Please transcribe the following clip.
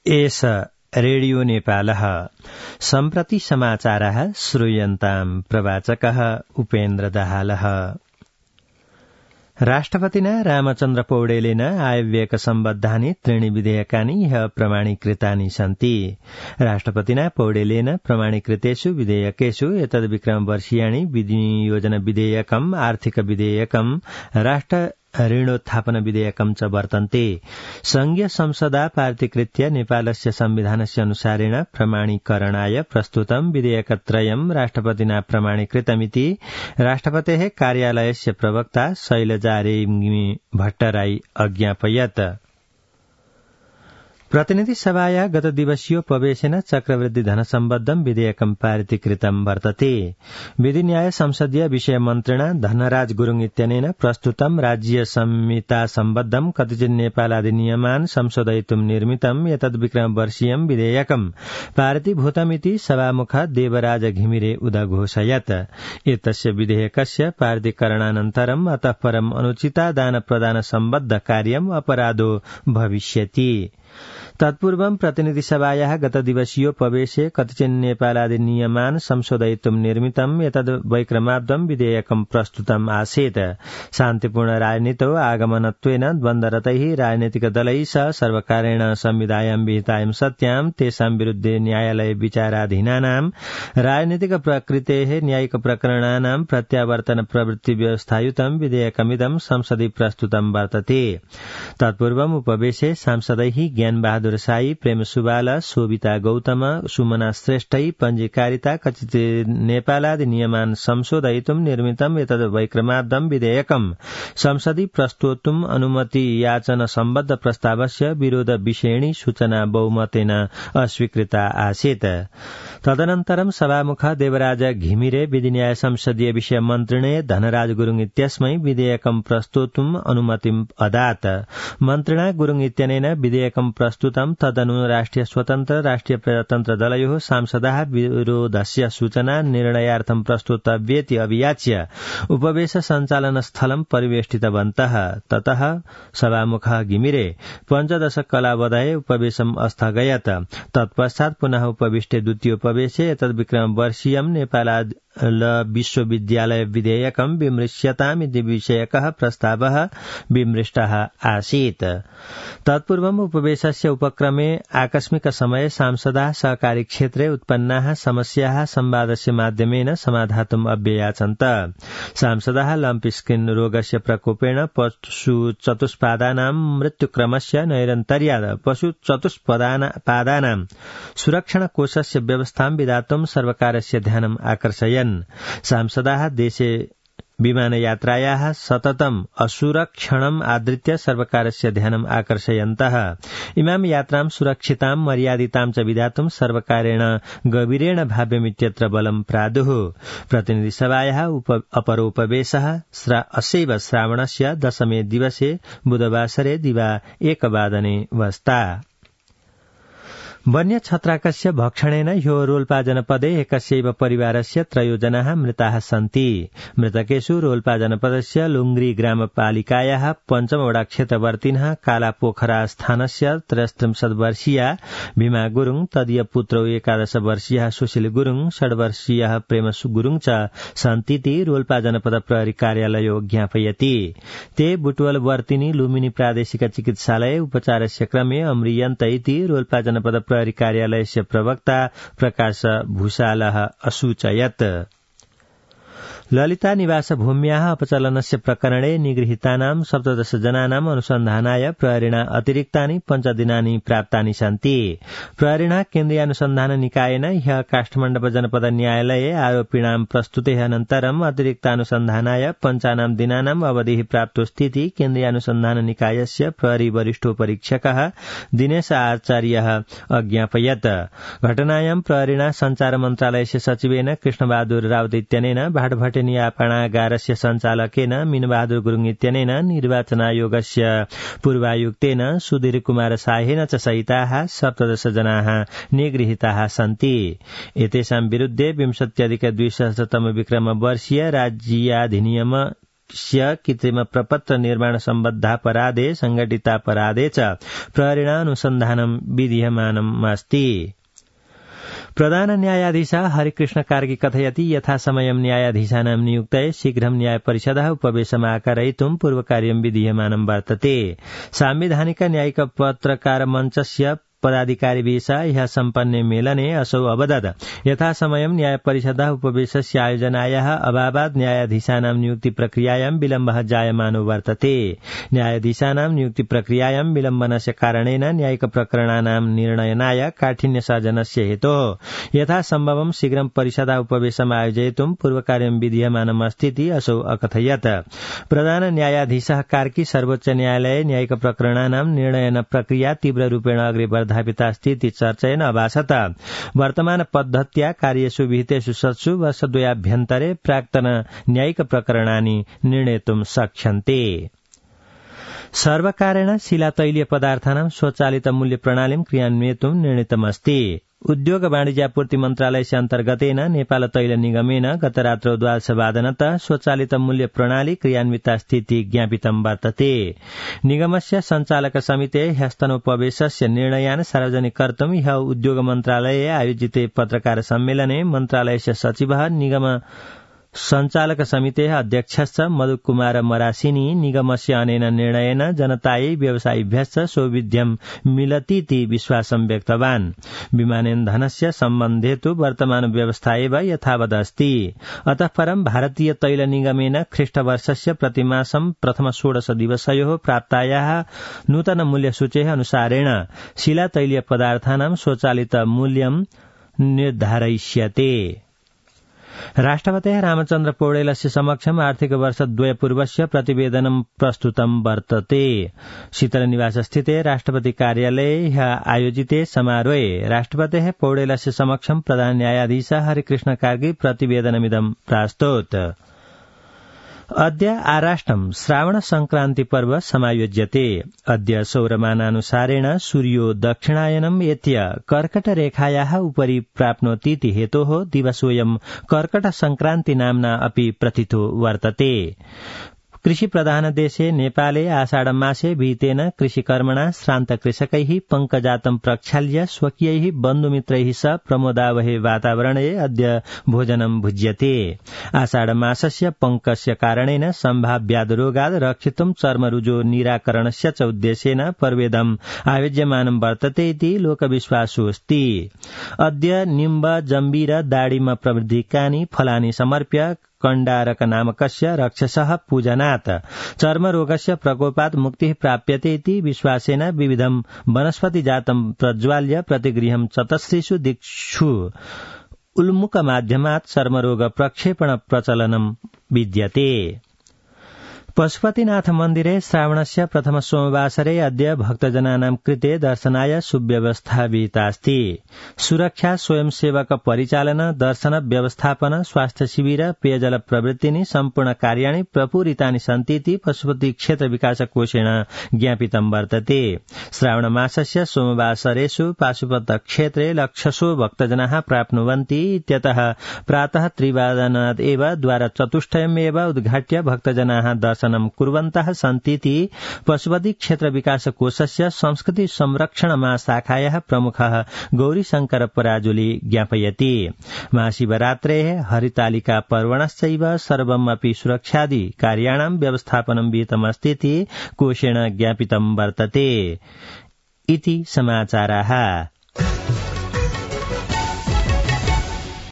एष रेडियो नेपालः सम्प्रति समाचारः श्रूयन्ताम् प्रवाचकः उपेन्द्र दाहालः। राष्ट्रपतिना रामचन्द्र पौडेलेन आयव्ययक सम्बद्धानि त्रीणि विधेयकानि ह्यः प्रमाणीकृतानि सन्ति। राष्ट्रपतिना पौडेलेन प्रमाणीकृतेषु विधेयकेषु एतद्विक्रमवर्षीयाणि विनियोजन विधेयकम्, आर्थिक विधेयकम्, राष्ट्र ऋणोत्थापन विधेयकम् च वर्तन्ते। संघीय संसदा पारितीकृत्य नेपालस्य संविधानस्य अनुसारेण प्रमाणीकरणाय प्रस्तुतं विधेयकत्रयम् राष्ट्रपतिना प्रमाणीकृतमिति राष्ट्रपतेः कार्यालयस्य प्रवक्ता शैलजा रेग्मी भट्टराई अज्ञापयत्। प्रतिनिधि सभाया गत दिवसीयोपवेशेन चक्रवृद्धि धनसम्बद्धं विधेयकं पारितीकृतं वर्तते। विधि न्याय संसदीय विषय मन्त्रिणा धनराज गुरुङ इत्यनेन प्रस्तुतं राज्य संहिता सम्बद्धं कतिचित् नेपालाधिनियमान् संशोधयितुं निर्मितं एतद्विक्रमवर्षीयं विधेयकं पारितीभूतमिति सभामुखः देवराज घिमिरे उदघोषयत्। एतस्य विधेयकस्य पारितीकरणानन्तरम् अतः परम् अनुचिता दान प्रदान सम्बद्ध कार्यम् अपराधो भविष्यति। तत्पूर्वं प्रतिनिधि सभायाः गत दिवसीयोपवेशे कतिचित् नेपालाधिनियमान् संशोधयितुं निर्मितं एतद्वैक्रमाब्दं विधेयकं प्रस्तुतम् आसीत्। शान्तिपूर्ण राजनीतौ आगमनत्वेन द्वन्द्वरतैः राजनीतिकदलैः सह सर्वकारेण संविधायां विहितायां सत्यां तेषां विरुद्धे न्यायालये विचाराधीनानां राजनीतिक प्रकृतेः न्यायिक प्रकरणानां प्रत्यावर्तन प्रवृत्ति व्यवस्थायुतं विधेयकमिदं संसदि प्रस्तुतं वर्तते। तत्पूर्वम् उपवेशे सांसदैः ज्ञान बहादुर साई, प्रेम सुवाल, शोभिता गौतम, सुमना श्रेष्ठै पञ्जीकारिता कतिचित् नेपालाधिनियमान् संशोधयितुं निर्मितं एतद्वैक्रमाब्दं विधेयकं संसदि प्रस्तोतुम् अनुमति याचन सम्बद्ध प्रस्तावस्य विरोध विषयिणी सूचना बहुमतेन अस्वीकृता आसीत्। तदनन्तरं सभामुखः देवराज घिमिरे विधि न्याय संसदीय विषय मन्त्रिणे धनराज गुरुङ इत्यस्मै विधेयकं प्रस्तोतुम् अनुमतिम् अदात्। मन्त्रिणा गुरुङ इत्यनेन विधेयकं प्रस्तुतं तदनु राष्ट्रिय स्वतन्त्र राष्ट्रिय प्रजातन्त्र दलयोः सांसदाः विरोधस्य सूचना निर्णयार्थं प्रस्तुतव्येति अभियाच्य उपवेश सञ्चालन स्थलं परिवेष्टितवन्तः। ततः सभामुखः घिमिरे पञ्चदश कलावधये उपवेशम् अस्थगयत्। तत्पश्चात् पुनः उपविष्टे द्वितीय उपवेशे एतद्विक्रमवर्षीयं नेपाल विश्वविद्यालय विधेयकं विमृश्यतामिति विषयकः प्रस्तावः विमृष्टः आसीत्। तत्पूर्वम् उपवेशस्य उपक्रमे आकस्मिक समये सांसदाः सहकारी क्षेत्रे उत्पन्नाः समस्याः संवादस्य माध्यमेन समाधातुम् अभ्ययाचन्त। सांसदाः लम्प स्किन रोगस्य प्रकोपेण पशु चतुष्पादानां मृत्युक्रमस्य नैरन्तर्यात् पशु चतुष्पादानां सुरक्षण कोषस्य व्यवस्थां विधातुं सर्वकारस्य ध्यानम् आकर्षयन्। सांसदाः देशे विमानयात्रायाः सततम् असुरक्षणम् आधृत्य सर्वकारस्य ध्यानम् आकर्षयन्तः। इमां यात्रां सुरक्षितां मर्यादितां च विधातुं सर्वकारेण गभीरेण भाव्यमित्यत्र बलं प्रादुः। प्रतिनिधिसभायाः अपरोपवेशः असैव श्रावणस्य दशमे दिवसे बुधवासरे दिवा 1 वादने वस्ता। वन्य छत्राकस्य भक्षणेन ह्यो रोल्पा जनपदे एकस्यैव परिवारस्य 3 जनाः मृताः सन्ति। मृतकेषु रोल्पा जनपदस्य लुङ्ग्री ग्रामपालिकायाः 5 वडा क्षेत्रवर्तिनः कालापोखरा स्थानस्य 33 वर्षीया भीमा गुरुङ, तदीय पुत्रौ 11 वर्षीयः सुशील गुरुङ, 6 वर्षीयः प्रेम गुरुङ च सन्तीति रोल्पा जनपद प्रहरी कार्यालयो ज्ञापयति। ते बुटवल वर्तिनी लुम्बिनी प्रादेशिक चिकित्सालये उपचारस्य क्रमे अम्रियन्त इति रोल्पा जनपद प्रहरी कार्यालयस्य प्रवक्ता प्रकाश भूषालः असूचयत्। ललिता निवास भूम्याः अपचलनस्य प्रकरणे निगृहीतानां 17 जनानाम् अनुसन्धानाय प्रहरीणा अतिरिक्तानि 5 दिनानि प्राप्तानि सन्ति। प्रहरीणा केन्द्रीय अनुसन्धान निकायेन ह्यः काष्ठमण्डप जनपद न्यायालये आरोपिणां प्रस्तुतेः अनन्तरम् अतिरिक्तानुसन्धानाय 5 दिनानाम् अवधिः प्राप्तोस्तीति केन्द्रीय अनुसन्धान निकायस्य प्रहरी वरिष्ठोपरीक्षकः दिनेश आचार्यः अज्ञापयत्। घटनायां प्रहरीणा संचार मन्त्रालयस्य सचिवेन कृष्णबहादुर राउत इत्यनेन भाटभटे आपणागारस्य सञ्चालकेन मीनबहादुर गुरुङ इत्यनेन निर्वाचन आयोगस्य पूर्वायुक्तेन सुधीर कुमार साहेन च सहिताः 17 जनाः निगृहीताः सन्ति। एतेषां विरुद्धे 20+200 विक्रम वर्षीय राज्याधिनियम कृत्रिम प्रपत्र निर्माण सम्बद्धापराधे संघटितापराधे च प्रहरिणा अनुसन्धानं विधीयमानमस्ति। प्रधान न्यायाधीश हरिकृष्ण कार्की कथयति यथासमयं न्यायाधीशानां नियुक्तये शीघ्रं न्यायपरिषदः उपवेशमाकारयितुं पूर्वकार्यं विधीयमानं वर्तते। सांविधानिक न्यायिक पत्रकार मञ्चस्य पदाधिकारिभिः ह्यः सम्पन्ने मेलने असौ अवदत् यथासमयं न्यायपरिषदः उपवेशस्य आयोजनायाः अभावात् न्यायाधीशानां नियुक्ति प्रक्रियायां विलम्बः जायमानो वर्तते। न्यायाधीशानां नियुक्ति प्रक्रियायां विलम्बनस्य कारणेन न्यायिक प्रकरणानां निर्णयनाय काठिन्यसर्जनस्य हेतोः यथासम्भवं शीघ्रं परिषदः उपवेशम् आयोजयितुं पूर्वकार्यं विधीयमानमस्तीति असौ अकथयत्। प्रधान न्यायाधीशः कार्की सर्वोच्च न्यायालये न्यायिक प्रकरणानां निर्णयन प्रक्रिया तीव्ररूपेण अग्रे वर्धापितास्ति चर्चयेन अभासत। वर्तमान पद्धत्या कार्येषु विहितेषु 7 वर्षद्वयाभ्यन्तरे प्राक्तन न्यायिक प्रकरणानि निर्णेतुं शक्यन्ते। सर्वकारेण शिलातैलीय पदार्थानां स्वचालित मूल्य प्रणालीं क्रियान्वयितुं निर्णीतमस्ति। उद्योग वाणिज्यापूर्ति मन्त्रालयस्य अन्तर्गतेन नेपाल तैल निगमेन गत रात्रौ द्वादशवादनतः स्वचालित मूल्य प्रणाली क्रियान्विता स्थिति ज्ञापितं वर्तते। निगमस्य सञ्चालक समितेः ह्यस्तनोपवेशस्य निर्णयान् सार्वजनिक कर्तुं ह्यः उद्योग मन्त्रालये आयोजिते पत्रकार सम्मेलने मन्त्रालयस्य सचिवः निगम सञ्चालक समितेः अध्यक्षश्च मधुकुमार मरासिनी निगमस्य अनेन निर्णयेन जनतायै व्यवसायिभ्यश्च सौविध्यं मिलतीति विश्वासं व्यक्तवान्। विमानेन्धनस्य सम्बन्धे तु वर्तमान व्यवस्था एव यथावदस्ति। अतः परं भारतीय तैल निगमेन ख्रीष्टवर्षस्य प्रतिमासं प्रथम 16 दिवसयोः प्राप्तायाः नूतन मूल्यसूचेः अनुसारेण शिलातैलीय पदार्थानां स्वचालित मूल्यं निर्धारयिष्यते। राष्ट्रपतेः रामचन्द्र पौडेलस्य समक्षम् आर्थिक वर्ष 2 पूर्वस्य प्रतिवेदनं प्रस्तुतं वर्तते। शीतलनिवासस्थिते राष्ट्रपति कार्यालये आयोजिते समारोहे राष्ट्रपतेः पौडेलस्य समक्षं प्रधान न्यायाधीश हरिकृष्ण कार्की प्रतिवेदनमिदं प्रास्तोत्। अद्य आराष्ट्रं श्रावण संक्रान्ति पर्व समायोज्यते। अद्य सौरमानानुसारेण सूर्यो दक्षिणायनम् एत्य कर्कट रेखायाः उपरि प्राप्नोतीति हेतोः दिवसोऽयं कर्कट संक्रान्ति नाम्ना अपि प्रथितो वर्तते। कृषि प्रधान देशे नेपाले आषाढ मासे विहितेन कृषिकर्मणा श्रान्त कृषकैः पङ्कजातं प्रक्षाल्य स्वकीयैः बन्धुमित्रैः सह प्रमोदावहे वातावरणे अद्य भोजनं भुज्यते। आषाढ मासस्य पङ्कस्य कारणेन सम्भाव्याद् रक्षितुं चर्मरुजो निराकरणस्य च उद्देश्येन पर्वेदम् आयोज्यमानं वर्तते इति लोकविश्वासोऽस्ति। अद्य निम्ब जम्बीर दाडिम प्रभृतिकानि फलानि समर्प्य कण्डारक नामकस्य रक्षसः पूजनात् चर्मरोगस्य प्रकोपात् मुक्तिः प्राप्यते इति विश्वासेन विविधं वनस्पतिजातं प्रज्वाल्य प्रतिगृहं चतस्रिषु दिक्षु उल्मुखमाध्यमात् चर्मरोग प्रक्षेपण प्रचलनं विद्यते। पशुपतिनाथ मन्दिरे श्रावणस्य प्रथम सोमवासरे अद्य भक्तजनानां कृते दर्शनाय सुव्यवस्था विहितास्ति। सुरक्षा, स्वयंसेवक परिचालन, दर्शन व्यवस्थापन, स्वास्थ्य शिविर, पेयजल प्रवृत्तिनि सम्पूर्ण कार्याणि प्रपूरितानि सन्ति इति पशुपति क्षेत्र विकास कोषेण ज्ञापितं वर्तते। श्रावण मासस्य सोमवासरेषु पाशुपत क्षेत्रे लक्षशो भक्तजनाः प्राप्नुवन्ति इत्यतः प्रातः 3 एव द्वारचतुष्टयमेव उद्घाट्य भक्तजनाः दर्शनं कुर्वन्तः सन्तीति पशुपति क्षेत्र विकास कोषस्य संस्कृति संरक्षण महाशाखायाः प्रमुखः गौरीशंकर पराजुली ज्ञापयति। महाशिवरात्रेः हरितालिका पर्वणश्चैव सर्वमपि सुरक्षादि कार्याणां व्यवस्थापनं विहितमस्तीति कोषेण ज्ञापितं वर्तते। इति समाचाराः।